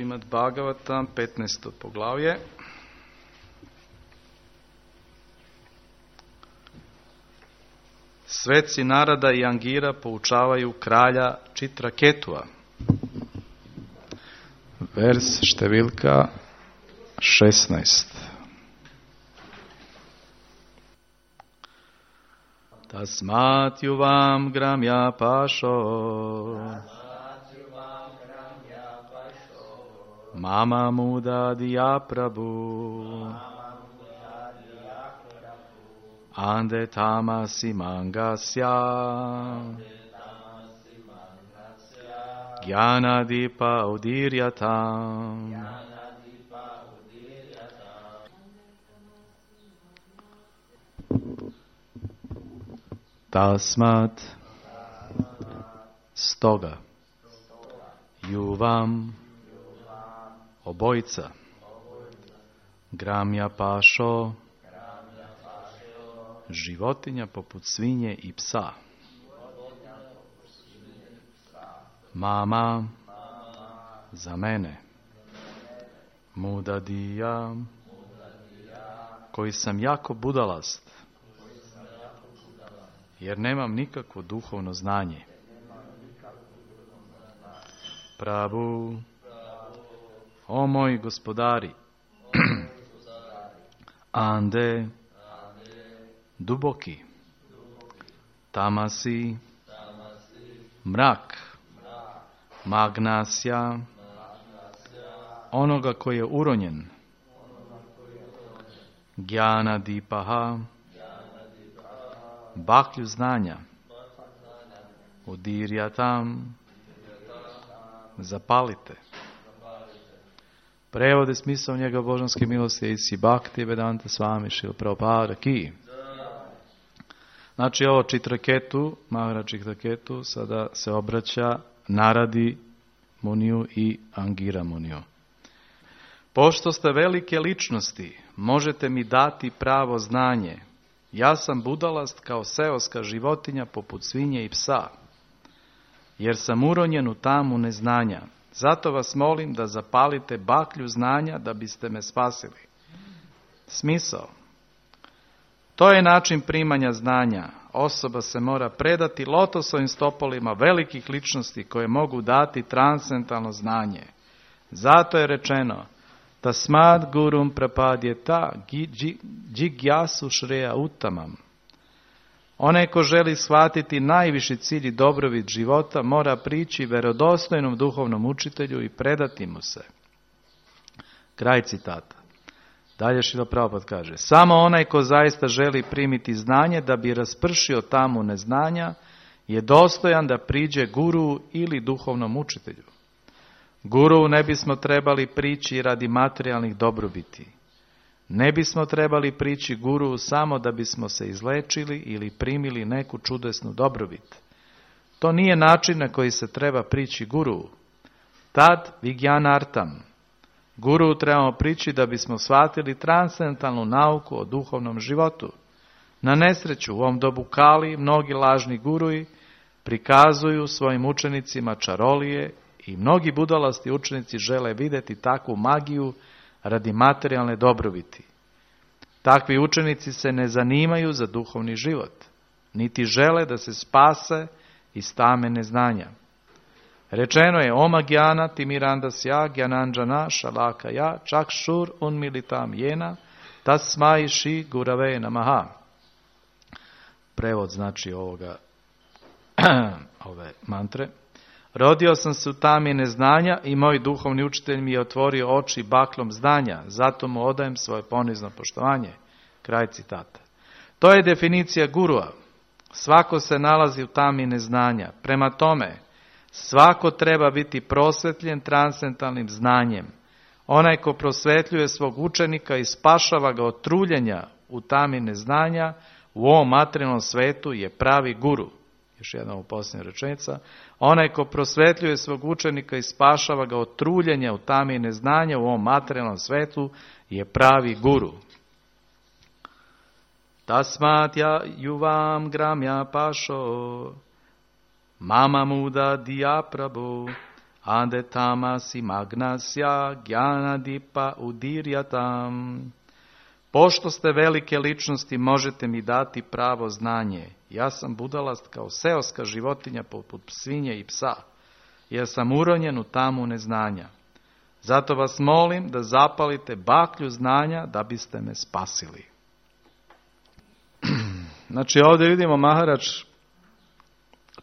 Šrimad Bhagavatam, 15. poglavlje. Sveci Narada i Angira poučavaju kralja Čitraketua. Vers številka 16. Tasmat juvam gramya pasho Mama muda diya prabhu Ande tamasi mangasya Jnana dipa udiryatam Tasmat stoga juvam obojica gramya pašo životinja poput svinje i psa mama za mene mudadija koji sam jako budalast jer nemam nikakvo duhovno znanje. Prabhu, o moj gospodari, ande, duboki, tamasi, mrak, magnasja, onoga koji je uronjen, Jnana dipaha, baklju znanja, udirjatam, zapalite. Prevode smisao njega božanske milosti Isi Bhakti Vedanta Swami Šrila Prabhupada Ki. Znači ovo Čitraketu, Maharaj Čitraketu, sada se obraća Naradi Muniju i Angira Muniju. Pošto ste velike ličnosti, možete mi dati pravo znanje. Ja sam budalast kao seoska životinja poput svinje i psa, jer sam uronjen u tamu neznanja. Zato vas molim da zapalite baklju znanja da biste me spasili. Smisao. To je način primanja znanja. Osoba se mora predati lotosovim stopolima velikih ličnosti koje mogu dati transcendentalno znanje. Zato je rečeno Tasmad gurum prapadjeta džigjasu šreja utamam. Onaj ko želi shvatiti najviši cilj i dobrobit života mora prići vjerodostojnom duhovnom učitelju i predati mu se. Kraj citata. Dalje Šrila Prabhupada kaže, samo onaj ko zaista želi primiti znanje da bi raspršio tamu neznanja je dostojan da priđe guru ili duhovnom učitelju. Guru ne bismo trebali prići radi materijalnih dobrobiti. Ne bismo trebali prići guru samo da bismo se izlečili ili primili neku čudesnu dobrobit. To nije način na koji se treba prići guru. Tad vigjanartam. Guru trebamo prići da bismo shvatili transcendentalnu nauku o duhovnom životu. Na nesreću u ovom dobu Kali mnogi lažni guruji prikazuju svojim učenicima čarolije i mnogi budalasti učenici žele vidjeti takvu magiju radi materijalne dobrobiti. Takvi učenici se ne zanimaju za duhovni život, niti žele da se spase iz tame neznanja. Rečeno je Oma Gyana Timirandasya Gyananjana Shalakaya Chakshur Unmilitam Jena Tasmai Shri Gurave Namaha. Prevod znači ove mantre. Rodio sam se u tami neznanja i moj duhovni učitelj mi je otvorio oči baklom znanja, zato mu odajem svoje ponizno poštovanje. Kraj citata. To je definicija gurua. Svako se nalazi u tami neznanja. Prema tome, svako treba biti prosvetljen transcendentalnim znanjem. Onaj ko prosvetljuje svog učenika i spašava ga od truljenja u tami neznanja, u ovom materijalnom svetu je pravi guru. Još jedna u posljednja rečenica. Onaj ko prosvetljuje svog učenika i spašava ga od truljenja u tami neznanja u ovom materijalnom svetu je pravi guru. Tasmat juvam gramya pašo mama muda diya prabhu ande tamasi magnasya gyanadipa udiryatam. Pošto ste velike ličnosti, možete mi dati pravo znanje. Ja sam budalast kao seoska životinja poput svinje i psa, jer sam uronjen u tamu neznanja. Zato vas molim da zapalite baklju znanja da biste me spasili. Znači ovdje vidimo Maharač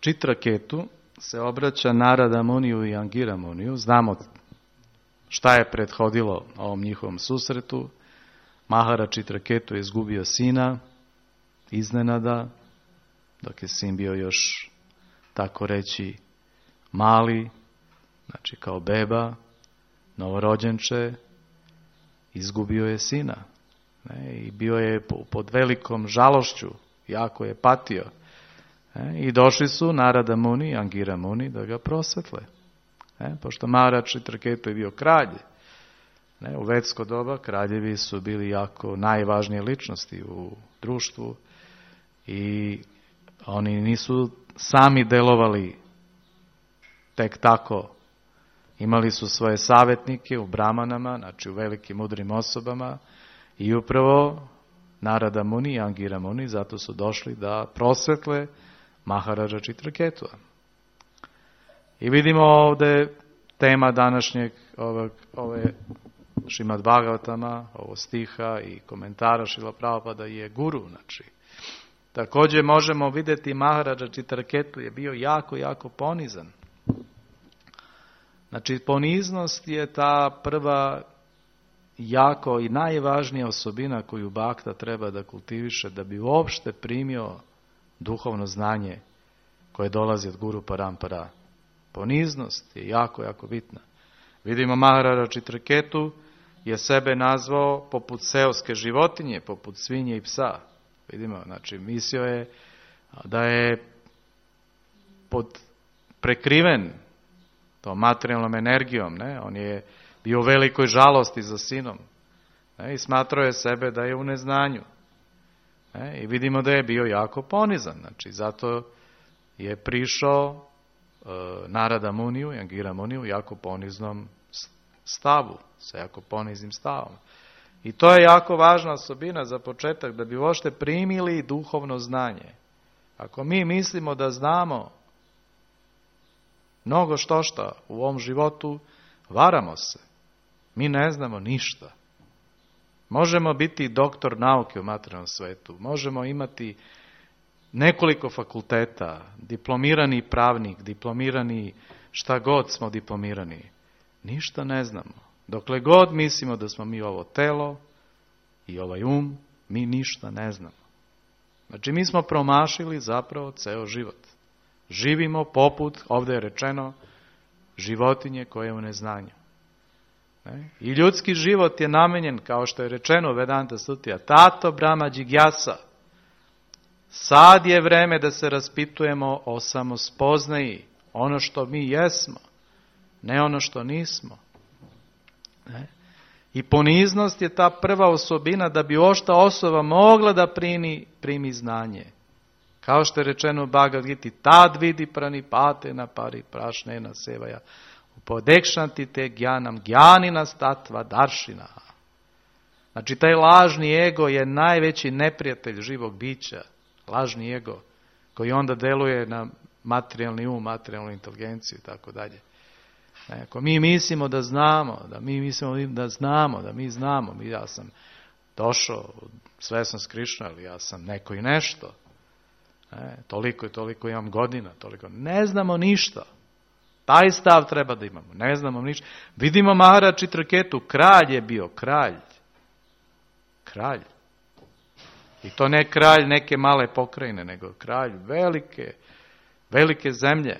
Chitraketu se obraća Narada Muniju i Angira Muniju. Znamo šta je prethodilo ovom njihovom susretu. Maharač Chitraketu je izgubio sina iznenada, dok je sin bio još, tako reći, mali, znači kao beba, novorođenče, izgubio je sina. I bio je pod velikom žalošću, jako je patio. I došli su Narada Muni i Angira Muni da ga prosvetle. Pošto Maharač Chitraketu je bio kralj, u vedsko doba kraljevi su bili jako najvažnije ličnosti u društvu i oni nisu sami delovali tek tako. Imali su svoje savjetnike u brahmanama, znači u velikim mudrim osobama, i upravo Narada Muni i Angira Muni zato su došli da prosvetle Maharaja Chitraketua. I vidimo ovdje tema današnjeg ove Šrimad Bhagavatama, ovo stiha i komentara Šrila Prabhupada je guru. Znači, također možemo vidjeti Maharaja Chitraketu je bio jako, jako ponizan. Znači, poniznost je ta prva jako i najvažnija osobina koju bhakta treba da kultiviše da bi uopšte primio duhovno znanje koje dolazi od Guru Parampara. Poniznost je jako, jako bitna. Vidimo Maharaja Chitraketu je sebe nazvao poput seoske životinje, poput svinje i psa. Vidimo, znači mislio je da je prekriven tom materijalnom energijom. Ne? On je bio u velikoj žalosti za sinom. I smatrao je sebe da je u neznanju. I vidimo da je bio jako ponizan. Znači, zato je prišao Narada Muniju i Angira Muniju u jako poniznom stavu, sa jako poniznim stavom. I to je jako važna osobina za početak, da bi uopšte primili duhovno znanje. Ako mi mislimo da znamo mnogo što u ovom životu, varamo se. Mi ne znamo ništa. Možemo biti doktor nauke u materijalnom svetu, možemo imati nekoliko fakulteta, diplomirani pravnik, diplomirani šta god smo diplomirani. Ništa ne znamo. Dokle god mislimo da smo mi ovo telo i ovaj mi ništa ne znamo. Znači mi smo promašili zapravo ceo život. Živimo poput, ovdje je rečeno, životinje koje je u neznanju. I ljudski život je namenjen, kao što je rečeno u Vedanta Sutija, tato brahma džigyasa. Sad je vreme da se raspitujemo o samospoznaji, ono što mi jesmo, ne ono što nismo. I poniznost je ta prva osobina da bi ošta osoba mogla da primi znanje. Kao što je rečeno u Bhagavad Giti, tad vidi pranipate na pari prašne na sevaja, upodekšanti te gjanam, gjanina statva daršina. Znači taj lažni ego je najveći neprijatelj živog bića, lažni ego, koji onda deluje na materijalni materijalnu inteligenciju i tako dalje. Ako mi mislimo da znamo, ja sam došao, sve sam s Krišnom, ali ja sam neko i nešto. Toliko i toliko imam godina, toliko. Ne znamo ništa. Taj stav treba da imamo. Ne znamo ništa. Vidimo Maharaja Chitraketu, kralj je bio, kralj. Kralj. I to ne kralj neke male pokrajine, nego kralj velike zemlje.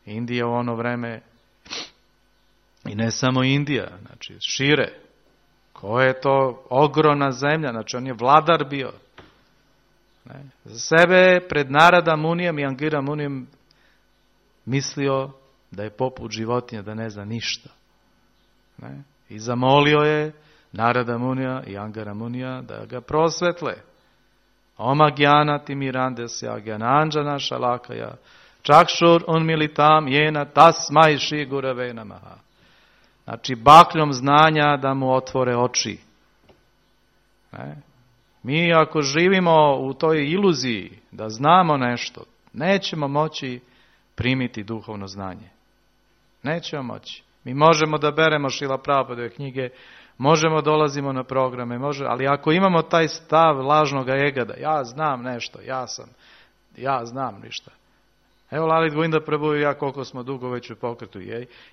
Indija u ono vreme, i ne samo Indija, znači šire. Koja je to ogromna zemlja, znači on je vladar bio. Za sebe pred Narada Munijem i Angira Munijem mislio da je poput životinja, da ne zna ništa. I zamolio je Narada Munija i Angira Munija da ga prosvetle. Oma gyana timirandasya gyananjana shalakaya Čakšur unmilitam jena tasmai šri gurave namaha. Znači, bakljom znanja da mu otvore oči. Mi ako živimo u toj iluziji da znamo nešto, nećemo moći primiti duhovno znanje. Nećemo moći. Mi možemo da beremo Šrila Prabhupadove knjige, možemo dolazimo na programe, ali ako imamo taj stav lažnog ega da ja znam nešto, ja znam ništa. Evo Lalit Govinda Prabhu i ja koliko smo dugo već u pokretu.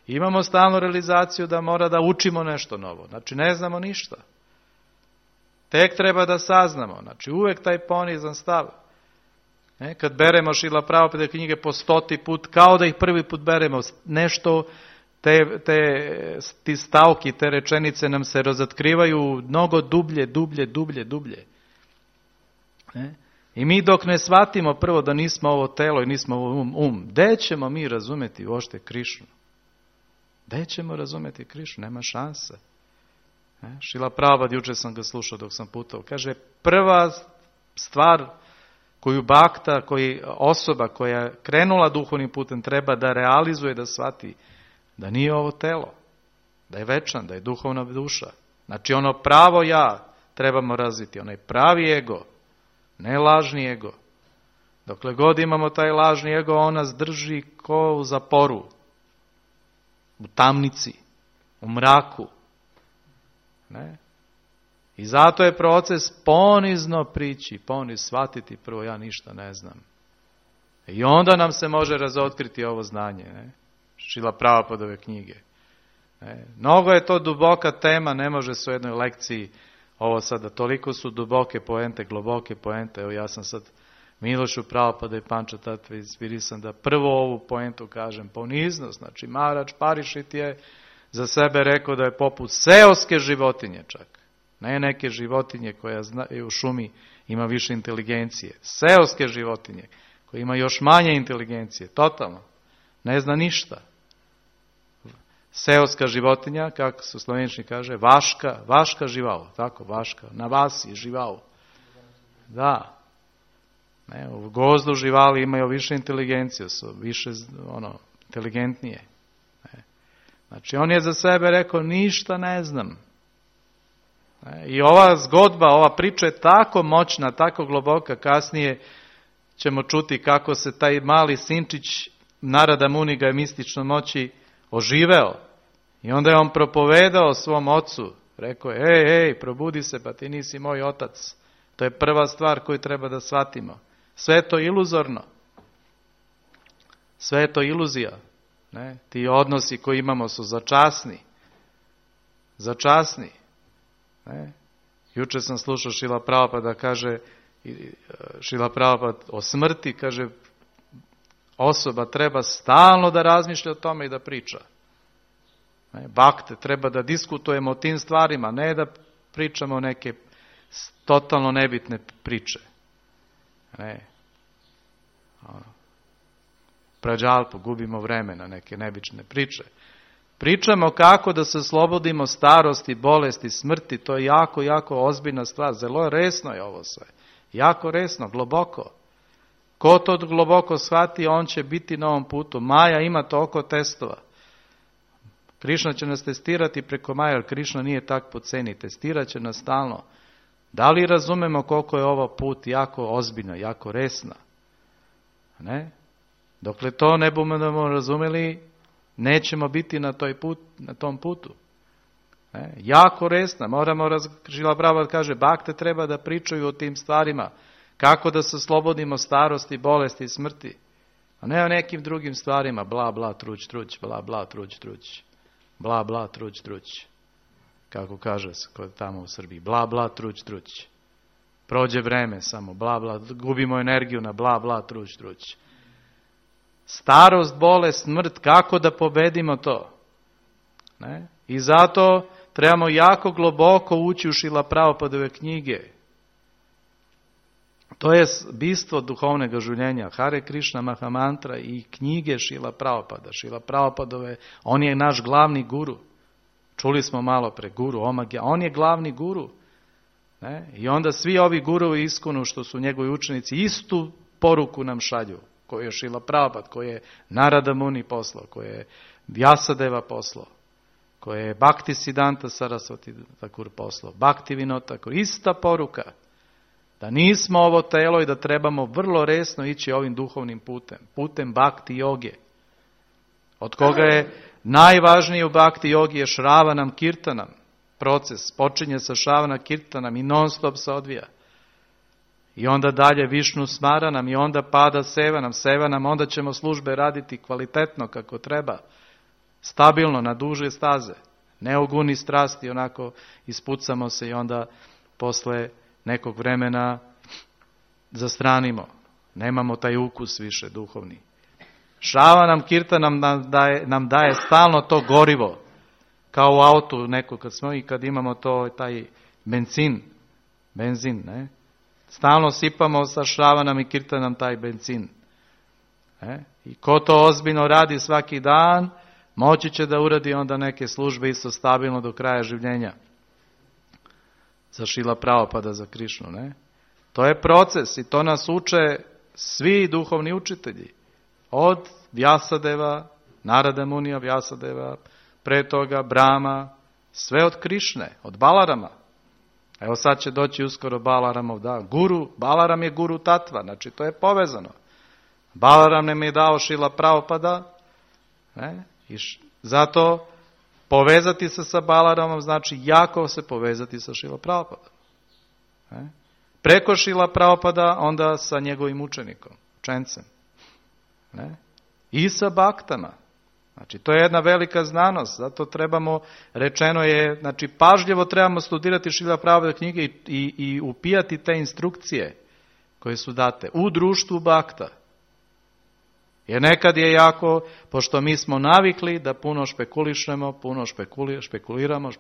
Imamo stalnu realizaciju da mora da učimo nešto novo. Znači ne znamo ništa. Tek treba da saznamo. Znači uvek taj ponizan stav. Kad beremo Šrila Prabhupada knjige po 100. put, kao da ih prvi put beremo, nešto, ti stavki, te rečenice nam se razotkrivaju mnogo dublje. I mi dok ne shvatimo prvo da nismo ovo telo i nismo ovo gde ćemo mi razumeti uopšte Krišnu? Gde ćemo razumeti Krišnu? Nema šanse. Šrila Prabhupada, juče sam ga slušao dok sam putovao, kaže prva stvar koju bakta, osoba koja je krenula duhovnim putem treba da realizuje, da shvati da nije ovo telo, da je večan, da je duhovna duša. Znači ono pravo ja trebamo razviti, onaj pravi ego, ne lažni ego. Dokle god imamo taj lažni ego, on nas drži ko u zaporu, u tamnici, u mraku. Ne? I zato je proces ponizno prići, shvatiti prvo ja ništa ne znam. I onda nam se može razotkriti ovo znanje. Ne? Šrila Prabhupadove knjige. Mnogo je to duboka tema, ne može se u jednoj lekciji ovo sada, toliko su duboke poente, globoke poente. Evo ja sam sad Milošu Prabhupada i Pančatattva inspirisan da prvo ovu poentu kažem, poniznost. Znači Maharaj Parishit je za sebe rekao da je poput seoske životinje čak. Ne neke životinje koja u šumi ima više inteligencije. Seoske životinje koje ima još manje inteligencije, totalno. Ne zna ništa. Seoska životinja, kako se u slovenčini kaže, vaška živao, tako, vaška, na vasi živao. Da. Ne, u gozdu živali imaju više inteligencije, su više inteligentnije. Ne. Znači, on je za sebe rekao, ništa ne znam. Ne. I ova zgodba, ova priča je tako moćna, tako globoka, kasnije ćemo čuti kako se taj mali sinčić Narada Muni ga je mistično moći oživeo. I onda je on propovedao svom ocu. Rekao je, ej, probudi se, pa ti nisi moj otac. To je prva stvar koju treba da shvatimo. Sve je to iluzorno. Sve je to iluzija. Ne? Ti odnosi koji imamo su začasni. Začasni. Ne? Juče sam slušao Šrila Prabhupada kaže, Šrila Prabhupada o smrti, kaže, osoba treba stalno da razmišlja o tome i da priča. Bakte, treba da diskutujemo o tim stvarima, ne da pričamo neke totalno nebitne priče. Ne. Prađalpu, gubimo vreme na neke nebične priče. Pričamo kako da se oslobodimo starosti, bolesti, smrti, to je jako, jako ozbiljna stvar. Zelo resno je ovo sve. Jako resno, globoko. Ko to globoko shvati, on će biti na ovom putu. Maja ima toliko testova. Krišna će nas testirati preko Maja, jer Krišna nije tak po ceni. Testirat će nas stalno. Da li razumemo koliko je ovo put jako ozbiljno, jako resna? Ne? Dokle to ne budemo razumeli, nećemo biti na tom putu. Ne? Jako resna. Šrila Prabhupada kaže, bakte treba da pričaju o tim stvarima. Kako da se slobodimo starosti, bolesti i smrti. A ne o nekim drugim stvarima. Bla, bla, truć, truć, bla, bla, truć, truć. Bla, bla, truć, truć. Kako kaže se tamo u Srbiji. Bla, bla, truć, truć. Prođe vreme samo. Bla, bla. Gubimo energiju na bla, bla, truć, truć. Starost, bolest, smrt. Kako da pobedimo to? Ne? I zato trebamo jako globoko ući u Šrila Prabhupadove knjige. To je bistvo duhovnog življenja. Hare Krishna Mahamantra i knjige Šrila Prabhupada. Šrila Prabhupadove, on je naš glavni guru. Čuli smo malo pre guru, Omagya. On je glavni guru. Ne? I onda svi ovi gurovi iskonu što su njegovi učenici istu poruku nam šalju. koje je Šrila Prabhupada, koje je Narada Muni poslao, koje je Vyasadeva poslao, koje je Bhakti Siddhanta Sarasvati Thakur poslao, Bhakti Vinod Thakur, ista poruka. Da nismo ovo telo i da trebamo vrlo resno ići ovim duhovnim putem Bhakti joge. Od koga je najvažniji u Bhakti jogi je Shravanam Kirtanam. Proces počinje sa Shravana Kirtanam i non stop se odvija. I onda dalje Višnu Smaranam i onda pada Sevanam, onda ćemo službe raditi kvalitetno kako treba, stabilno, na duže staze. Ne u guni strasti, onako ispucamo se i onda posle nekog vremena zastranimo. Nemamo taj ukus više duhovni. Shravanam Kirtanam nam daje stalno to gorivo, kao u autu neko kad imamo taj benzin, ne? Stalno sipamo sa Shravanam i Kirtanam taj benzin. I ko to ozbiljno radi svaki dan, moći će da uradi onda neke službe isto stabilno do kraja življenja. Za Šrila Prabhupada, za Krišnu, ne? To je proces i to nas uče svi duhovni učitelji. Od Vyasadeva, Narada Munija, Vyasadeva, pre toga Brahma, sve od Krišne, od Balarama. Evo sad će doći uskoro Balaramov dan. Balaram je guru tatva, znači to je povezano. Balaram nam je dao Šrila Prabhupada, ne? I zato povezati se sa Balaramom znači jako se povezati sa Šrila Prabhupadom. Preko Šrila Prabhupada onda sa njegovim učencem. I sa baktama. Znači, to je jedna velika znanost, zato trebamo, rečeno je, znači, pažljivo trebamo studirati Šrila Prabhupada knjige i upijati te instrukcije koje su date u društvu bakta. Jer nekad je jako, pošto mi smo navikli da puno špekulišemo, puno špekuliramo,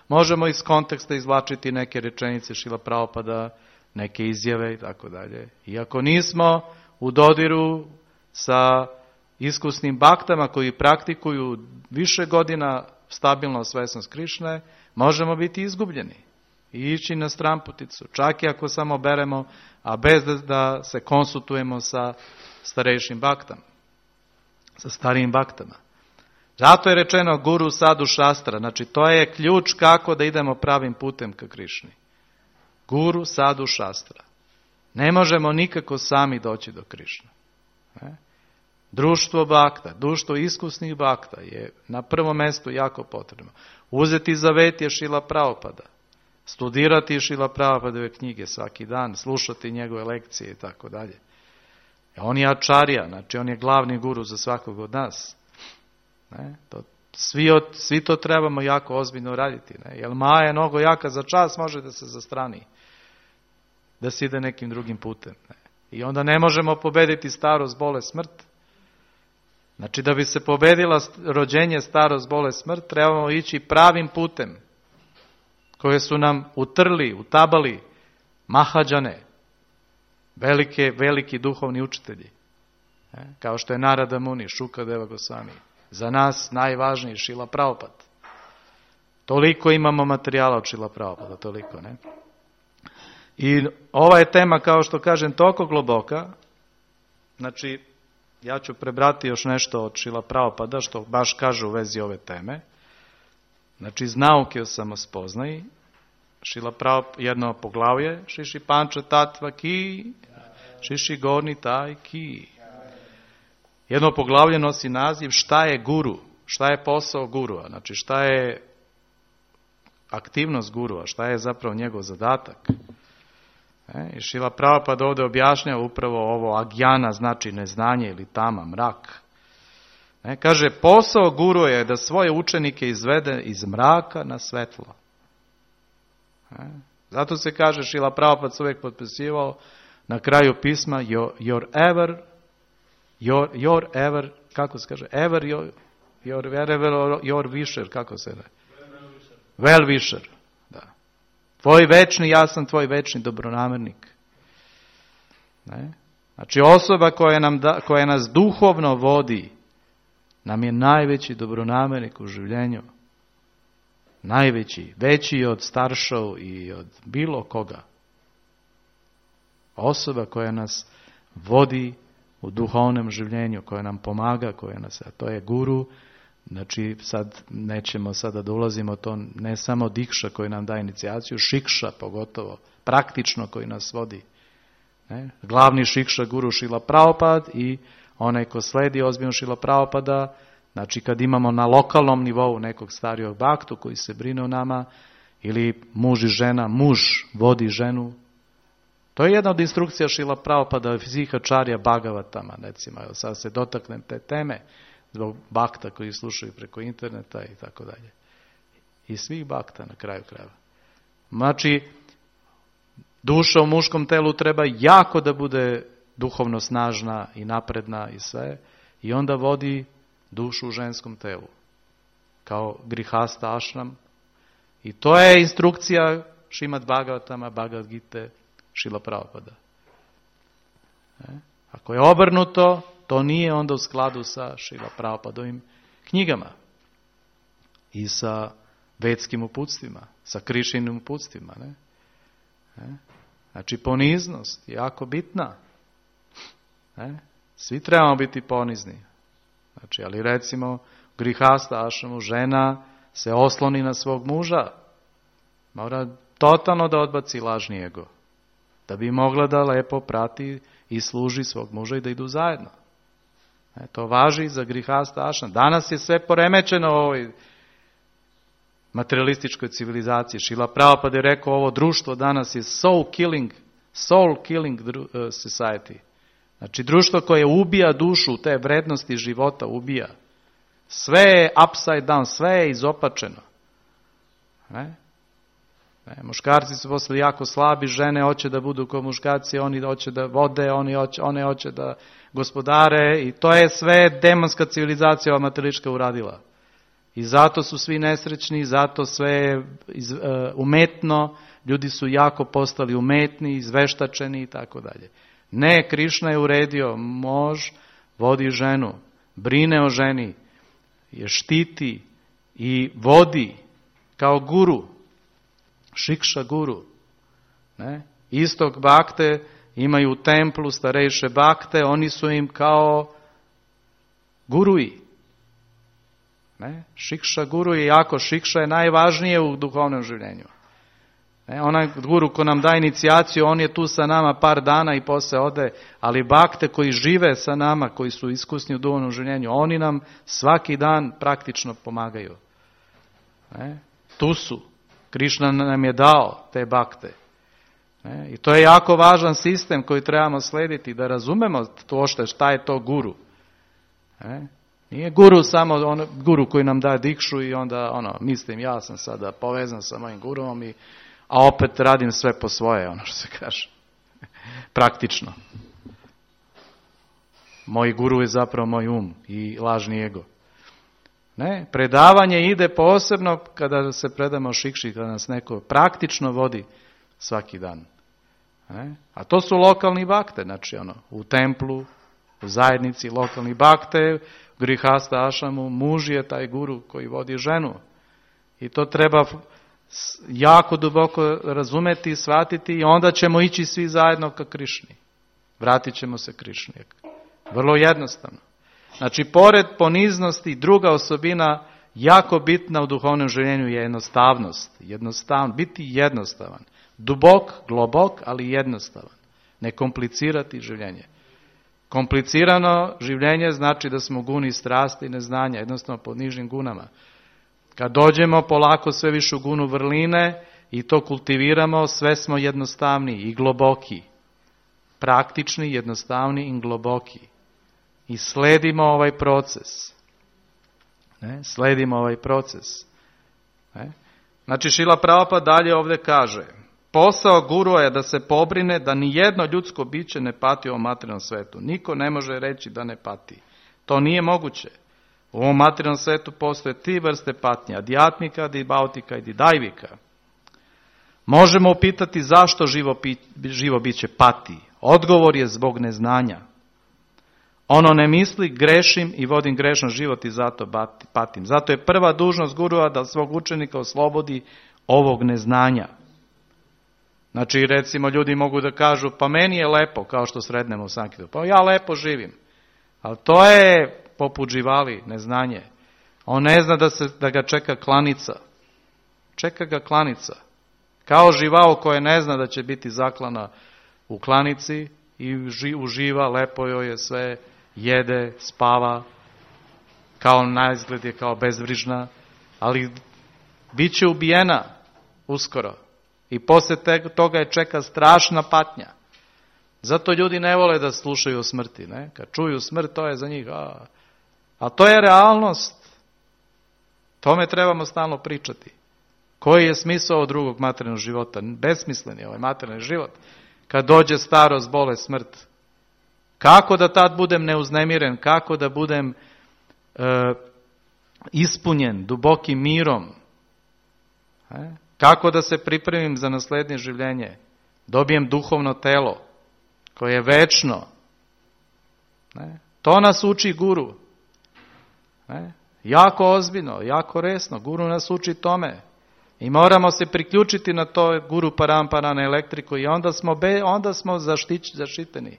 možemo iz konteksta izvlačiti neke rečenice Šrila Prabhupada, neke izjave i tako dalje. Iako nismo u dodiru sa iskusnim baktama koji praktikuju više godina stabilno svesnost Krišne, možemo biti izgubljeni i ići na stranputicu. Čak i ako samo beremo, a bez da se konsultujemo sa starejšim baktom, sa starijim baktama. Zato je rečeno guru sadu šastra, znači to je ključ kako da idemo pravim putem ka Krišni. Guru sadu šastra. Ne možemo nikako sami doći do Krišne. Društvo bakta, društvo iskusnih bakta je na prvom mjestu jako potrebno. Uzeti zavetje Šrila Prabhupada, studirati Šrila Prabhupadove knjige svaki dan, slušati njegove lekcije i tako dalje. On je ačarija, znači on je glavni guru za svakog od nas. Svi to trebamo jako ozbiljno raditi. Jer Maja je mnogo jaka, za čas može da se zastrani, da se ide nekim drugim putem. I onda ne možemo pobediti starost, bolest, smrt. Znači da bi se pobedila rođenje, starost, bolest, smrt, trebamo ići pravim putem koje su nam utrli, utabali Mahađane, veliki duhovni učitelji, kao što je Narada Muni, Šukadeva Gosvami. Za nas najvažniji Šrila Prabhupada. Toliko imamo materijala od Šrila Prabhupada, toliko, ne? I ova je tema, kao što kažem, toliko globoka, znači ja ću prebrati još nešto od Šrila Prabhupada, što baš kaže u vezi ove teme. Znači, iz nauke o samospoznaji, Šrila Prabhupada, jedno poglavlje, Šiši Panča Tatva Ki, Šiši Gorni Taj Ki. Jedno poglavlje nosi naziv šta je guru, šta je posao gurua, znači šta je aktivnost gurua, šta je zapravo njegov zadatak. I Šrila Prabhupada ovdje objašnjava upravo ovo agjana, znači neznanje ili tama, mrak. Kaže, posao guru je da svoje učenike izvede iz mraka na svetlo. Zato se kaže, Šrila Prabhupada se uvijek potpisivao na kraju pisma your ever, kako se kaže, your wisher, kako se kaže? Well wisher, da. Tvoj večni, ja sam tvoj večni dobronamernik. Znači osoba koja nas duhovno vodi, nam je najveći dobronamernik u življenju. Najveći, veći od staršov i od bilo koga. Osoba koja nas vodi u duhovnom življenju, koje nam pomaga, koje nas, a to je guru. Znači sad nećemo sada da ulazimo to, ne samo dikša koji nam daje inicijaciju, šikša pogotovo, praktično koji nas vodi. Ne? Glavni šikša guru Šrila Prabhupada i onaj ko sledi ozbiljno Šrila Prabhupada, znači kad imamo na lokalnom nivou nekog starijog baktu koji se brine o nama, ili muž i žena, muž vodi ženu. To je jedna od instrukcija Šrila Prabhupada, Fizihačarya Bhagavatama, recimo, sad se dotaknem te teme, zbog bakta koji slušaju preko interneta i tako dalje. I svih bakta na kraju krajeva. Znači, duša u muškom telu treba jako da bude duhovno snažna i napredna i sve, i onda vodi dušu u ženskom telu. Kao grihasta ašram. I to je instrukcija Šrimad Bhagavatama, Bhagavad Gite, Šrila Prabhupada. Ako je obrnuto, to nije onda u skladu sa Šrila Prabhupadovim knjigama i sa vedskim uputstvima, sa Krišinim uputstvima. Ne? Znači poniznost je jako bitna. Ne? Svi trebamo biti ponizni. Znači, ali recimo grihasta ašramu, žena se osloni na svog muža. Mora totalno da odbaci lažni ego. Da bi mogla da lepo prati i služi svog muža i da idu zajedno. To važi za grihasta ašram. Danas je sve poremećeno u ovoj materialističkoj civilizaciji. Šrila Prabhupada je rekao, ovo društvo danas je soul killing society. Znači društvo koje ubija dušu, te vrednosti života ubija. Sve je upside down, sve je izopačeno. Muškarci su postali jako slabi, žene hoće da budu kao muškarci, oni hoće da vode, one hoće da gospodare, i to je sve demonska civilizacija ova materička uradila. I zato su svi nesrećni, zato sve umetno, ljudi su jako postali umetni, izveštačeni i tako dalje. Ne, Krišna je uredio, muž vodi ženu, brine o ženi, je štiti i vodi kao guru, šikša guru. Ne? Istog bakte imaju u templu starejše bakte, oni su im kao guruji. Ne? Šikša guru je jako, šikša je najvažnije u duhovnom življenju. Onaj guru ko nam da inicijaciju, on je tu sa nama par dana i posle ode, ali bakte koji žive sa nama, koji su iskusni u duhovnom življenju, oni nam svaki dan praktično pomagaju. Tu su. Krišna nam je dao te bakte. I to je jako važan sistem koji trebamo slediti, da razumemo to šta je to guru. Nije guru samo guru koji nam daje dikšu i onda mislim ja sam sada povezan sa mojim guruvom, a opet radim sve po svoje, što se kaže. Praktično. Moj guru je zapravo moj um i lažni ego. Ne, predavanje ide posebno kada se predamo šikši, kada nas neko praktično vodi svaki dan. A to su lokalni bakte, znači u templu, u zajednici lokalni bakte, grihasta ašramu, muž je taj guru koji vodi ženu. I to treba jako duboko razumeti i shvatiti, i onda ćemo ići svi zajedno ka Krišni. Vratit ćemo se Krišni. Vrlo jednostavno. Znači, pored poniznosti, druga osobina jako bitna u duhovnom življenju je jednostavnost. Biti jednostavan. Dubok, globok, ali jednostavan. Ne komplicirati življenje. Komplicirano življenje znači da smo guni strasti i neznanja, jednostavno pod nižim gunama. Kad dođemo polako sve više u gunu vrline i to kultiviramo, sve smo jednostavni i globoki. Praktični, jednostavni i globoki. I sledimo ovaj proces. Sledimo ovaj proces. Znači, Šrila Prabhupada dalje ovdje kaže, posao gurua je da se pobrine da ni jedno ljudsko biće ne pati u ovom materijalnom svetu. Niko ne može reći da ne pati. To nije moguće. U ovom materijalnom svetu postoje 3 vrste patnje, adjatmika, dibautika i didajvika. Možemo upitati zašto živo biće pati. Odgovor je zbog neznanja. Ono ne misli, grešim i vodim grešan život i zato patim. Zato je prva dužnost gurua da svog učenika oslobodi ovog neznanja. Znači, recimo, ljudi mogu da kažu, pa meni je lepo, kao što sretnemo u Sankitu. Pa ja lepo živim. Ali to je poput živali, neznanje. On ne zna da ga čeka klanica. Čeka ga klanica. Kao živao koje ne zna da će biti zaklana u klanici i uživa, lepo joj je sve, jede, spava, kao na izgled je kao bezbrižna, ali bit će ubijena uskoro. I poslije toga je čeka strašna patnja. Zato ljudi ne vole da slušaju o smrti. Ne? Kad čuju smrt, to je za njih. A to je realnost. Tome trebamo stalno pričati. Koji je smisao drugog materijalnog života? Besmislen je ovaj materijalni život. Kad dođe starost, bolest, smrt. Kako da tad budem neuznemiren? Kako da budem ispunjen dubokim mirom? Kako da se pripremim za naslednje življenje? Dobijem duhovno telo koje je večno. To nas uči guru. Jako ozbiljno, jako resno. Guru nas uči tome. I moramo se priključiti na to guru parampara, na elektriku i onda smo zaštiteni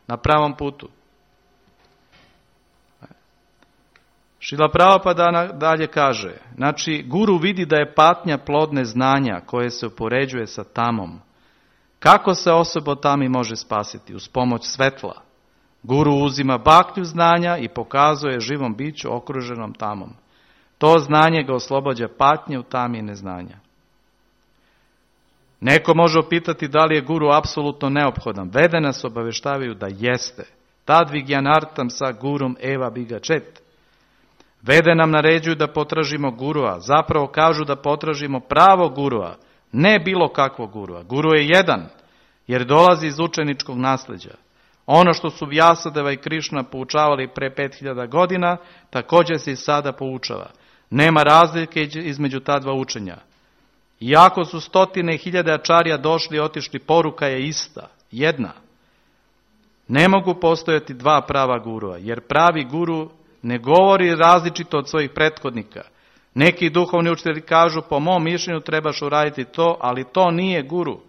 na pravom putu. Šrila Prabhupada dalje kaže, znači guru vidi da je patnja plod neznanja koje se upoređuje sa tamom. Kako se osoba tami može spasiti? Uz pomoć svetla. Guru uzima baklju znanja i pokazuje živom biću okruženom tamom. To znanje ga oslobađa patnje u tami neznanja. Neko može upitati da li je guru apsolutno neophodan. Vede nas obaveštavaju da jeste. Tad vigyanartam sa gurum eva bigačet. Vede nam naređuju da potražimo gurua. Zapravo kažu da potražimo pravo gurua. Ne bilo kakvog gurua. Guru je jedan, jer dolazi iz učeničkog nasljeđa. Ono što su Vyasadeva i Krišna poučavali pre 5000 godina, također se i sada poučava. Nema razlike između ta dva učenja. Iako su 100.000 ačarija došli i otišli, poruka je ista, jedna. Ne mogu postojati dva prava gurua, jer pravi guru ne govori različito od svojih prethodnika. Neki duhovni učitelji kažu, po mom mišljenju trebaš uraditi to, ali to nije guru.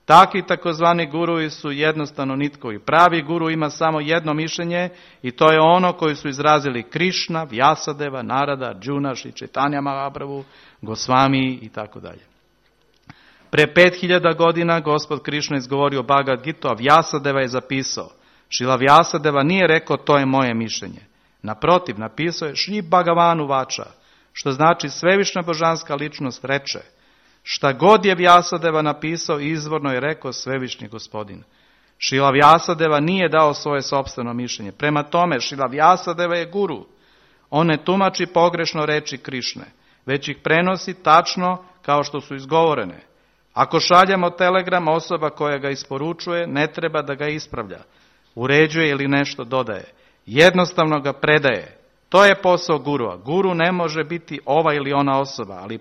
Takvi takozvani guruji su jednostavno nitkovi. Pravi guru ima samo jedno mišljenje i to je ono koji su izrazili Krišna, Vyasadeva, Narada, Arjuna, Šri Chaitanya Mahaprabhu, Gosvami i tako dalje. Pre 5000 godina Gospod Krišna izgovorio Bhagavad Gita, a Vyasadeva je zapisao. Šrila Vyasadeva nije rekao to je moje mišljenje. Naprotiv, napisao je Šri Bhagavanu Vača, što znači svevišnja božanska ličnost reče. Šta god je Vyasadeva napisao, izvorno je rekao svevišnji gospodin. Šrila Vyasadeva nije dao svoje sopstveno mišljenje. Prema tome, Šrila Vyasadeva je guru. On ne tumači pogrešno reči Krišne, već ih prenosi tačno kao što su izgovorene. Ako šaljemo telegram, osoba koja ga isporučuje ne treba da ga ispravlja, uređuje ili nešto dodaje. Jednostavno ga predaje. To je posao gurua. Guru ne može biti ova ili ona osoba, ali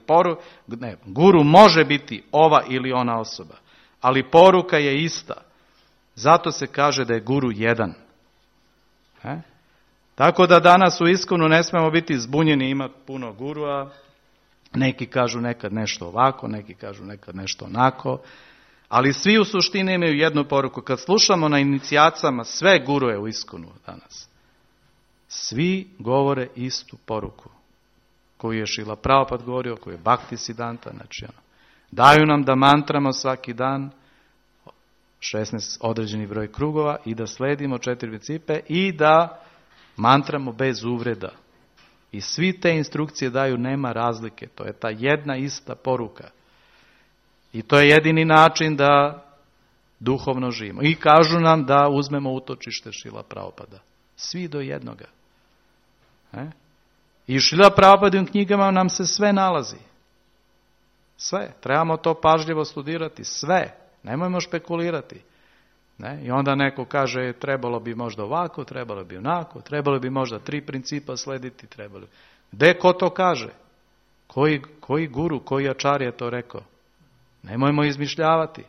guru može biti ova ili ona osoba, ali poruka je ista. Zato se kaže da je guru jedan. Tako da danas u ISKCON-u ne smemo biti zbunjeni, ima puno gurua. Neki kažu nekad nešto ovako, neki kažu nekad nešto onako, ali svi u suštini imaju jednu poruku. Kad slušamo na inicijacama sve gurue u ISKCON-u danas, svi govore istu poruku koju je Šrila Prabhupada govorio, koju je Bhakti Siddhanta, znači daju nam da mantramo svaki dan 16 određeni broj krugova i da sledimo 4 principe i da mantramo bez uvreda. I svi te instrukcije daju, nema razlike. To je ta jedna ista poruka. I to je jedini način da duhovno živimo. I kažu nam da uzmemo utočište Šrila Prabhupada. Svi do jednoga. I Šrila Prabhupadovim knjigama nam se sve nalazi. Sve. Trebamo to pažljivo studirati. Sve. Nemojmo špekulirati. I onda neko kaže trebalo bi možda ovako, trebalo bi onako, trebalo bi možda 3 principa slediti, trebalo. Gde ko to kaže? Koji guru, koji ačar je to rekao? Nemojmo izmišljavati.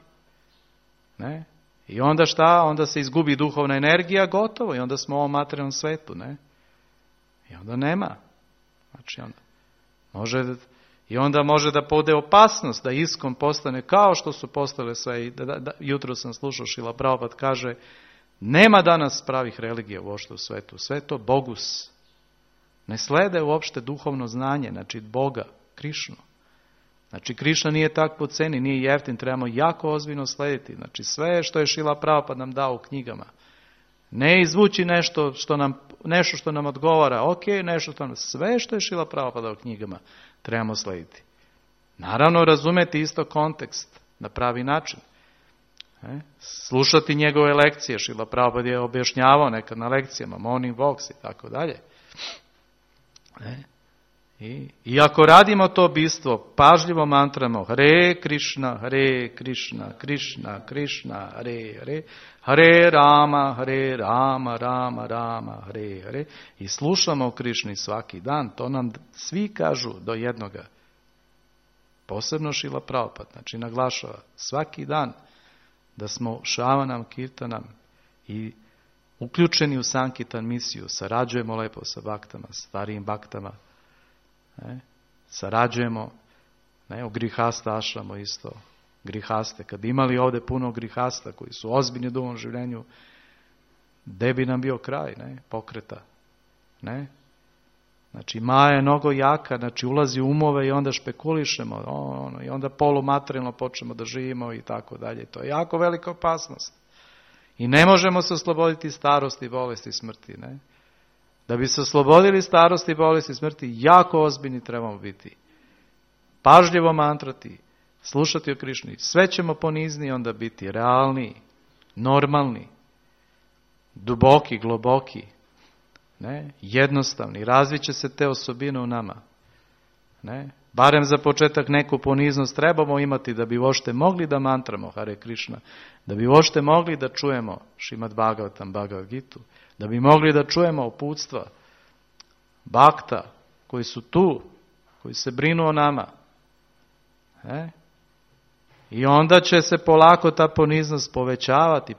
I onda šta? Onda se izgubi duhovna energija, gotovo. I onda smo u ovom materijalnom svetu. I onda nema. Znači onda može I onda može da bude opasnost da ISKCON postane kao što su postale sve. Jutro sam slušao Šrila Prabhupada kaže, nema danas pravih religija uopšte u svetu. Sve to bogus. Ne slede uopšte duhovno znanje, znači Boga, Krišnu. Znači Krišna nije tak po ceni, nije jeftin, trebamo jako ozbiljno slediti. Znači sve što je Šrila Prabhupada nam dao u knjigama. Ne izvući nešto što nam odgovara, nešto što nam... Sve što je Šrila Prabhupada u knjigama trebamo slediti. Naravno razumeti isto kontekst na pravi način. Slušati njegove lekcije, Šrila Prabhupada je objašnjavao nekad na lekcijama, morning walks i tako dalje. I ako radimo to bistvo, pažljivo mantramo Hare Krishna, Hare Krishna, Krishna Krishna, Hare Hare, Hare Rama, Hare Rama, Rama Rama, Hare Hare, i slušamo o Krišni svaki dan, to nam svi kažu do jednoga. Posebno Šrila Prabhupada, znači naglašava svaki dan da smo Šavanam, Kirtanam i uključeni u Sankitan misiju, sarađujemo lepo sa baktama, starijim baktama, sarađujemo, o grihasta ašramo isto, grihaste. Kad bi imali ovdje puno grihasta koji su ozbiljni u duhovnom življenju, gde bi nam bio kraj, pokreta. Znači Maja je mnogo jaka, znači ulazi u umove i onda špekulišemo, i onda polumaterijalno počnemo da živimo i tako dalje. To je jako velika opasnost. I ne možemo se osloboditi starosti, bolesti i smrti. Da bi se oslobodili starosti, bolesti i smrti, jako ozbiljni trebamo biti. Pažljivo mantrati, slušati o Krišni. Sve ćemo ponizniji onda biti realni, normalni, duboki, globoki, jednostavni. Razviće se te osobine u nama. Barem za početak neku poniznost trebamo imati da bi uopšte mogli da mantramo Hare Krishna, da bi uopšte mogli da čujemo Šrimad Bhagavatam, Bhagavad Gitu, da bi mogli da čujemo uputstva bakta koji su tu, koji se brinu o nama. I onda će se polako ta poniznost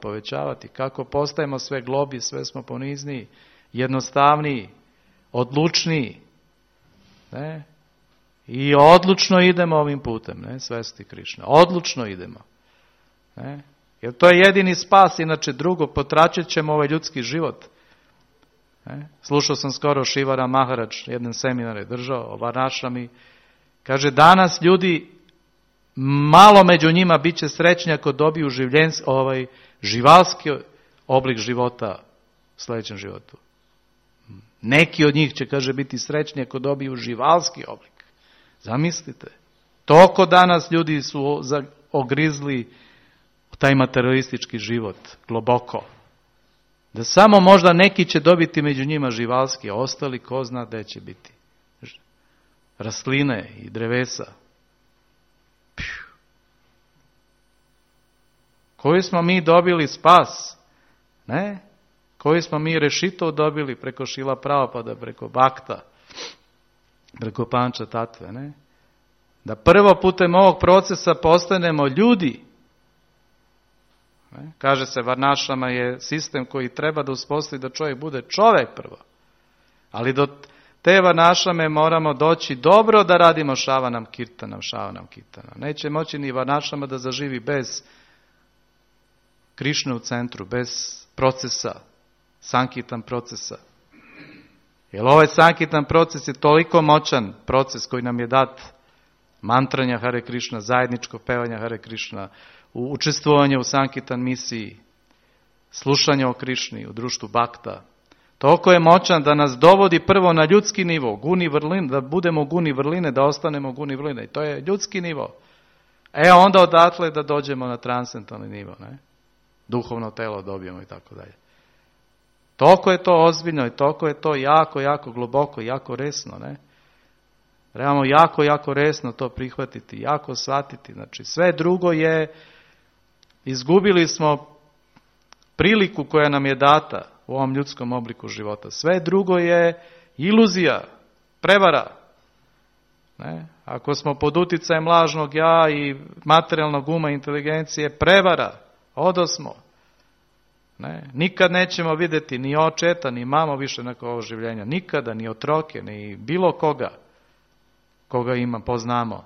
povećavati. Kako postajemo sve globi, sve smo ponizniji, jednostavniji, odlučniji. I odlučno idemo ovim putem, svesti Krišna. Odlučno idemo. Jer to je jedini spas, inače drugo, potračit ćemo ovaj ljudski život. Slušao sam skoro Šivara Maharaj, jedan seminar je držao o Varnašrami. Kaže, danas ljudi, malo među njima bit će srećni ako dobiju živalski oblik života u sljedećem životu. Neki od njih će, kaže, biti srećni ako dobiju živalski oblik. Zamislite. Toliko danas ljudi su ogrizli taj materialistički život, globoko. Da samo možda neki će dobiti među njima živalski, a ostali ko zna gde će biti. Rastline i drevesa. Koji smo mi dobili spas? Koji smo mi rešito dobili preko Šrila Prabhupada, preko Bakta, preko Panča Tatve, Da prvo putem ovog procesa postanemo ljudi. Kaže se, Varnašrama je sistem koji treba da uspostavi da čovjek bude čovjek prvo. Ali do te Varnašrame moramo doći dobro da radimo Šavanam Kirtanam. Neće moći ni Varnašrama da zaživi bez Krišne u centru, bez procesa, Sankitan procesa. Jer ovaj Sankitan proces je toliko moćan proces koji nam je dat mantranja Hare Krishna, zajedničko pevanja Hare Krishna, učestvovanje u Sankitan misiji, slušanje o Krišni, u društvu Bakta. Toliko je moćan da nas dovodi prvo na ljudski nivo, guni vrline, da budemo guni vrline, da ostanemo guni vrline. I to je ljudski nivo. Onda odatle da dođemo na transcendentalni nivo. Duhovno telo dobijemo i tako dalje. Toliko je to ozbiljno i toliko je to jako, jako globoko, jako resno. Trebamo jako, jako resno to prihvatiti, jako shvatiti. Znači sve drugo je, izgubili smo priliku koja nam je data u ovom ljudskom obliku života. Sve drugo je iluzija, prevara. Ako smo pod uticajem lažnog ja i materijalnog uma i inteligencije, prevara, odosmo. Nikad nećemo vidjeti ni očeta, ni mamo više nakon ovog življenja. Nikada, ni otroke, ni bilo koga. koga ima, poznamo.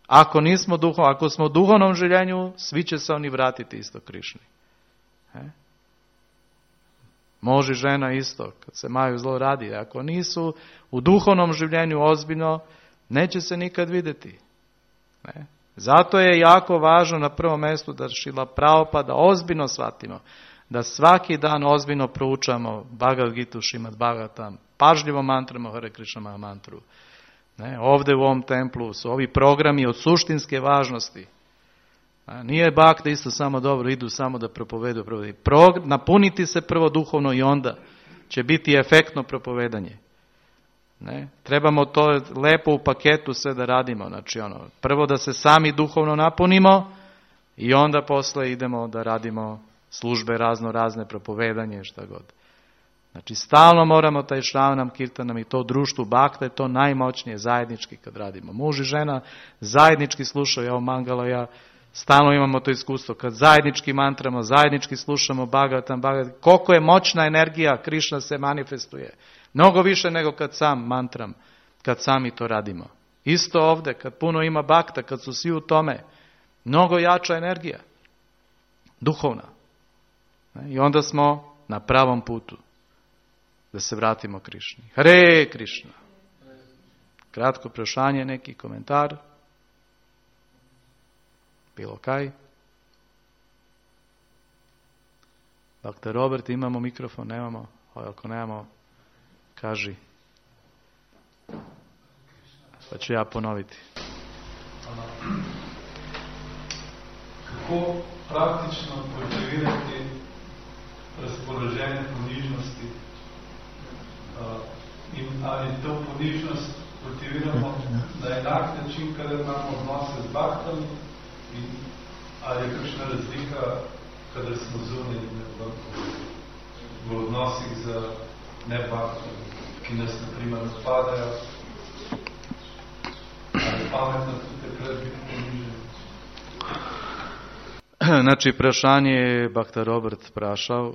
Ako smo u duhovnom življenju, svi će se oni vratiti isto Krišni. Muž i žena isto, kad se maju zlo radi. Ako nisu u duhovnom življenju ozbiljno, neće se nikad vidjeti. Ne? Zato je jako važno na prvom mjestu da Šrila Prabhupada ozbiljno shvatimo, da svaki dan ozbiljno proučamo Bhagavad Gitu, Šrimad Bhagavatam, pažljivo mantramo Hare Krishna Maha mantru. Ne? Ovdje u ovom templu su ovi programi od suštinske važnosti. Nije bhakti isto samo dobro, idu samo da propovedu. Napuniti se prvo duhovno i onda će biti efektno propovedanje. Ne? Trebamo to lepo u paketu sve da radimo. Znači prvo da se sami duhovno napunimo i onda posle idemo da radimo službe razne propovedanje, šta god. Znači stalno moramo taj Šravanam Kirtanam i to društvu bhakta je to najmoćnije zajednički kad radimo. Muž i žena zajednički slušaju, evo Mangala, stalno imamo to iskustvo, kad zajednički mantramo, zajednički slušamo Bhagavatam, koliko je moćna energija Krišna se manifestuje. Mnogo više nego kad sam mantram, kad sami to radimo. Isto ovdje, kad puno ima bhakta, kad su svi u tome, mnogo jača energija, duhovna. I onda smo na pravom putu da se vratimo Krišni. Hare Krišna. Kratko prašanje, neki komentar. Bilo kaj? Dr. Robert, imamo mikrofon, nemamo? Ako nemamo, kaži. Pa ću ja ponoviti. Kako praktično kultivirati razpoloženje ponižnosti? In ali to ponižnost kultiviramo na enak način, kada imamo odnose z bhaktami? In ali je kakšna razlika, kadar smo zunaj v odnosih z nebhaktami, ki nas na primer napadajo? Ali pametno tudi takrat biti ponižen? Znači, vprašanje je Bhakta Robert vprašal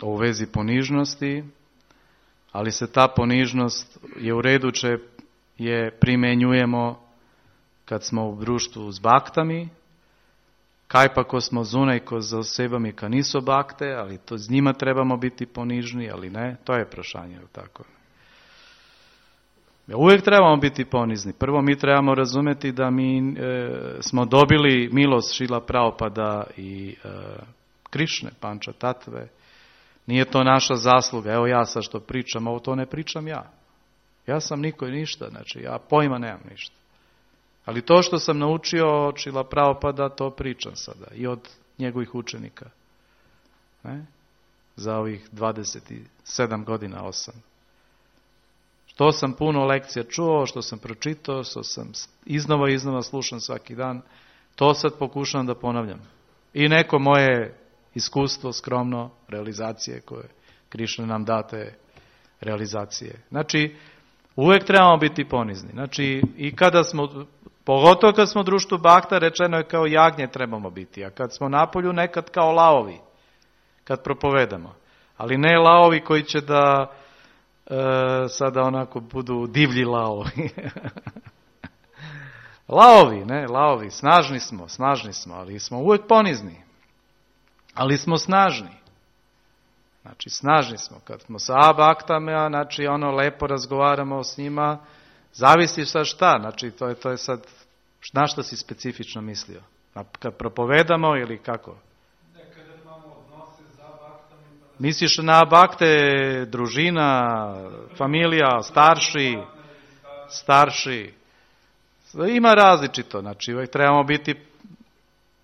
o vezi ponižnosti, ali se ta ponižnost je u redu, če je primenjujemo kad smo v društvu z baktami, kaj pa ko smo zunaj, ko z osebami, ka niso bakte, ali to z njima trebamo biti ponižni, ali ne, to je vprašanje. Tako. Uvijek trebamo biti ponizni. Prvo mi trebamo razumjeti da mi smo dobili milost Šrila Prabhupada i Krišne, Panča Tatve. Nije to naša zasluga. Evo ja sad što pričam, ovo to ne pričam ja. Ja sam niko i ništa, znači ja pojma nemam ništa. Ali to što sam naučio od Šrila Prabhupada, to pričam sada. I od njegovih učenika. Ne? Za ovih 27 godina, 8. Što sam puno lekcija čuo, što sam pročitao, što sam iznova slušam svaki dan, to sad pokušam da ponavljam. I neko moje iskustvo, skromno, realizacije koje Krišna nam date realizacije. Znači, uvijek trebamo biti ponizni. Znači, i kada smo, pogotovo kad smo u društvu bakta, rečeno je kao jagnje trebamo biti, a kad smo napolju nekad kao laovi, kad propovedamo. Ali ne laovi koji će da sada onako budu divlji laovi. Laovi, snažni smo, ali smo uvijek ponizni. Ali smo snažni. Znači, snažni smo. Kad smo sa baktama, znači lepo razgovaramo s njima, zavisi sad šta, znači to je sad, na što si specifično mislio? Kad propovedamo ili kako? Misliš na bakte, družina, familija, starši. Ima različito, znači uvijek trebamo biti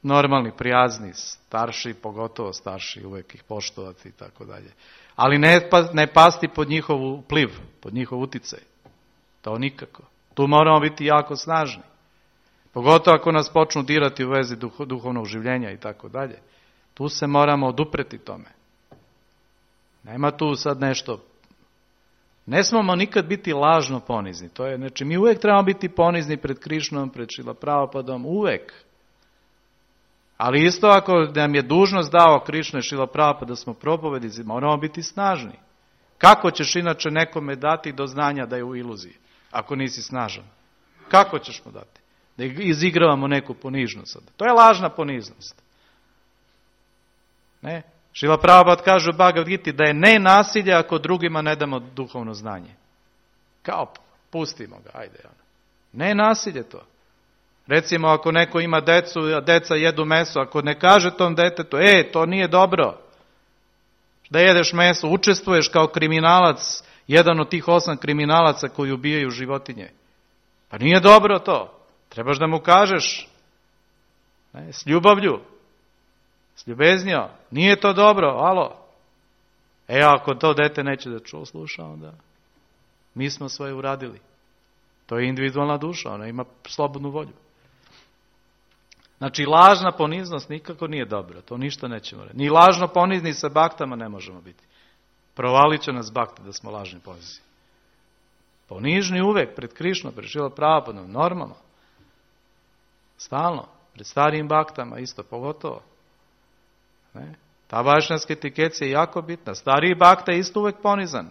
normalni, prijazni, starši, pogotovo starši, uvijek ih poštovati i tako dalje. Ali ne pasti pod njihov vpliv, pod njihov uticaj. To nikako. Tu moramo biti jako snažni. Pogotovo ako nas počnu dirati u vezi duhovnog življenja i tako dalje. Tu se moramo odupreti tome. Nema tu sad nešto. Ne smemo nikad biti lažno ponizni. To je, znači, mi uvijek trebamo biti ponizni pred Krišnom, pred Šrila Prabhupadom, uvijek. Ali isto ako nam je dužnost dao Krišna i Šrila Prabhupada da smo propovjednici, moramo biti snažni. Kako ćeš inače nekome dati do znanja da je u iluziji? ako nisi snažan. Kako ćeš mu dati? Da izigravamo neku ponižnost. To je lažna poniznost. Ne? Šrila Prabhupada kaže u Bhagavad Giti da je nenasilje ako drugima ne damo duhovno znanje. Kao, pustimo ga, ajde. Nenasilje to. Recimo, ako neko ima decu, a deca jedu meso, ako ne kaže tom detetu, to nije dobro, da jedeš meso, učestvuješ kao kriminalac, jedan od tih 8 kriminalaca koji ubijaju životinje. Pa nije dobro to. Trebaš da mu kažeš, s ljubavlju, s ljubeznjom, nije to dobro, alo. Ako to dete neće da sluša, onda mi smo svoje uradili. To je individualna duša, ona ima slobodnu volju. Znači, lažna poniznost nikako nije dobra, to ništa nećemo reći. Ni lažno ponizni sa baktama ne možemo biti. Provalit će nas bakte da smo lažni ponizni. Ponižni uvek pred Krišnom, pred Šrila Prabhupadom, normalno. Stalno, pred starijim baktama isto, pogotovo. Ne? Ta vašnjanska etikecija je jako bitna. Stariji bakta je isto uvek ponizan.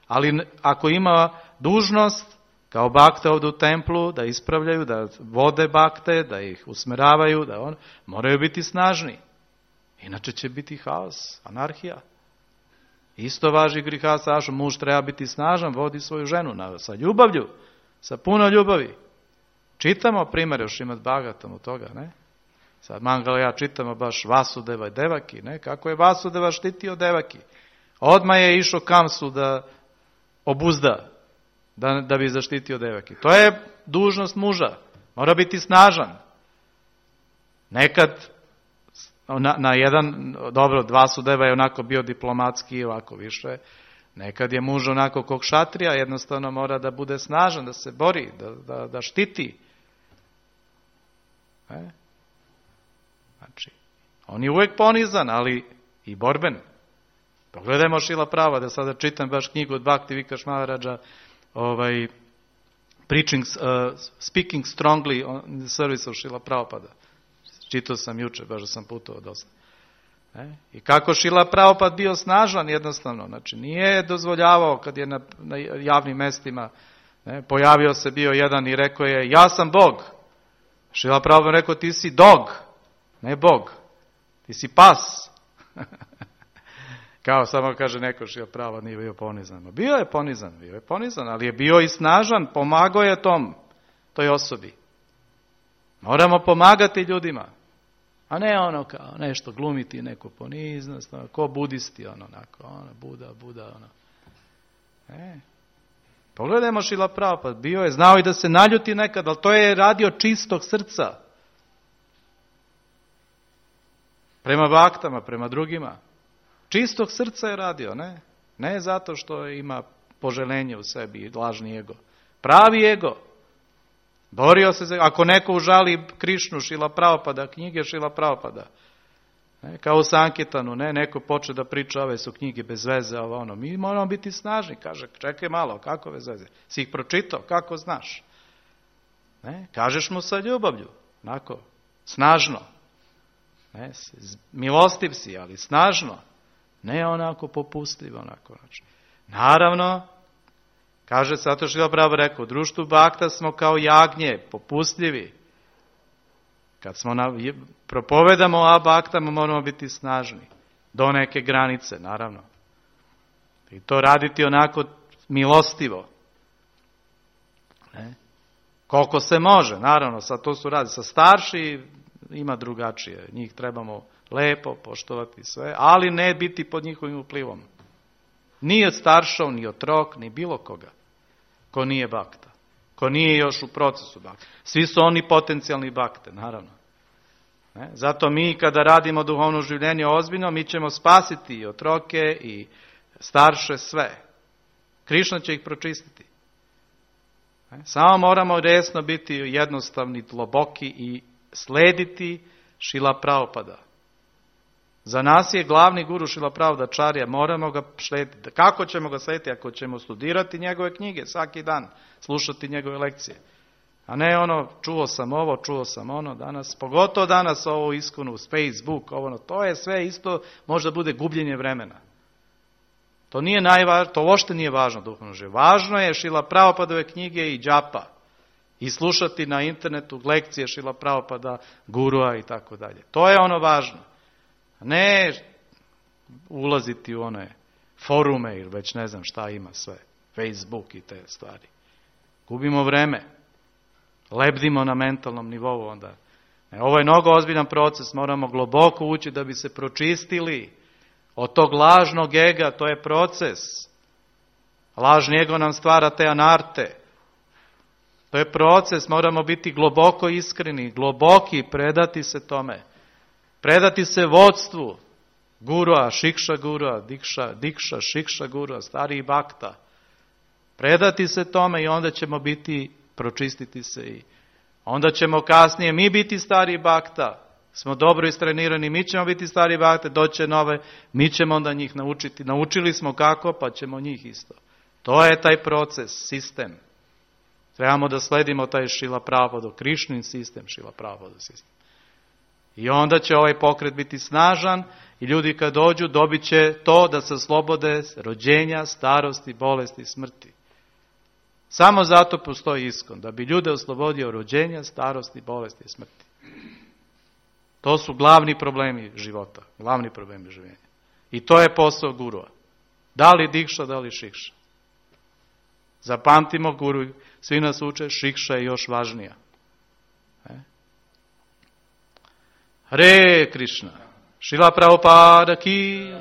Ali ako ima dužnost, kao bakte ovdje u templu, da ispravljaju, da vode bakte, da ih usmeravaju, moraju biti snažni. Inače će biti haos, anarhija. Isto važi grihasa ašom, muž treba biti snažan, vodi svoju ženu sa ljubavlju, sa puno ljubavi. Čitamo primere u Šrimad Bhagavatam od toga, ne? Sad Mangala ja čitamo baš Vasudeva i Devaki, ne? Kako je Vasudeva štitio Devaki. Odmah je išao Kamsu da obuzda, da bi zaštitio Devaki. To je dužnost muža. Mora biti snažan. Nekad na jedan, dobro, Vasudeva je onako bio diplomatski, ovako više. Nekad je muž onako kog šatrija, jednostavno mora da bude snažan, da se bori, da štiti. Znači, on je uvek ponizan, ali i borben. Pogledajmo Šrila Prabhupada, da sada čitam baš knjigu od Bhakti Vikash Maharaja, Speaking Strongly on the Service of Šrila Prabhupada. Čitao sam juče, baš da sam putovao dosta. I kako Šrila Prabhupada bio snažan jednostavno, znači nije dozvoljavao kad je na javnim mestima, pojavio se bio jedan i rekao je, ja sam Bog. Šrila Prabhupada rekao, ti si dog, ne Bog, ti si pas. Kao samo kaže neko Šrila Prabhupada nije bio ponizan. Bio je ponizan, ali je bio i snažan, pomagao je toj osobi. Moramo pomagati ljudima. A ne ono kao nešto glumiti, neku poniznost, ko budisti, Buda. Pogledajmo Šrila Prabhupada, bio je, znao i da se naljuti nekad, ali to je radio čistog srca. Prema baktama, prema drugima. Čistog srca je radio, ne? Ne zato što ima poželenje u sebi i lažni ego. Pravi ego. Borio se, ako neko užali Krišnu, Šrila Prabhupada, knjige Šrila Prabhupada, kao u Sankirtanu, neko poče da priča, ove su knjige bez veze, mi moramo biti snažni, kaže, čekaj malo, kako bez veze, si ih pročitao, kako znaš, kažeš mu sa ljubavlju, onako, snažno, milostiv si, ali snažno, ne onako popustljivo, onako, znači, naravno, kaže, zato što je Prabhupada rekao, u društvu bakta smo kao jagnje, popustljivi. Kad smo propovedamo o baktama, moramo biti snažni. Do neke granice, naravno. I to raditi onako milostivo. Koliko se može, naravno, sad to su radi. Sa starši ima drugačije. Njih trebamo lepo poštovati sve, ali ne biti pod njihovim uplivom. Ni od staršov, ni otrok, ni bilo koga. Ko nije bakta. Ko nije još u procesu bakta. Svi su oni potencijalni bakte, naravno. Zato mi kada radimo duhovno življenje ozbiljno, mi ćemo spasiti i otroke i starše sve. Krišna će ih pročistiti. Samo moramo resno biti jednostavni, dloboki i slediti Šrila Prabhupada. Za nas je glavni guru Šrila Prabhupada, moramo ga slediti. Kako ćemo ga slediti? Ako ćemo studirati njegove knjige svaki dan, slušati njegove lekcije. A ne čuo sam ono, danas, pogotovo danas ovo iskonu, Facebook, to je sve isto, možda bude gubljenje vremena. To nije najvažnije, to uopšte nije važno duhovno život. Važno je Šrila Prabhupadove knjige i džapa. I slušati na internetu lekcije Šrila Prabhupada, gurua i tako dalje. To je ono važno. Ne ulaziti u one forume ili već ne znam šta ima sve. Facebook i te stvari. Gubimo vreme. Lebdimo na mentalnom nivou onda. Ovo je mnogo ozbiljan proces. Moramo globoko ući da bi se pročistili od tog lažnog ega. To je proces. Lažni ego nam stvara te anarte. To je proces. Moramo biti globoko iskreni, globoki, predati se tome. Predati se vodstvu. Gurua, šikša gurua, dikša, šikša gurua, stariji bakta. Predati se tome i onda ćemo biti, pročistiti se i onda ćemo kasnije mi biti stariji bakta. Smo dobro istrenirani, mi ćemo biti stariji bakte, doće nove, mi ćemo onda njih naučiti. Naučili smo kako, pa ćemo njih isto. To je taj proces, sistem. Trebamo da sledimo taj Šrila Prabhupada, Krišnin sistem, Šrila Prabhupada sistem. I onda će ovaj pokret biti snažan i ljudi kad dođu dobit će to da se oslobode rođenja, starosti, bolesti, smrti. Samo zato postoji ISKCON, da bi ljude oslobodio rođenja, starosti, bolesti i smrti. To su glavni problemi života, glavni problemi življenja. I to je posao gurua. Da li dikša, da li šikša. Zapamtimo, guru, svi nas uče, šikša je još važnija. Hare Krishna. Šrila Prabhupada ki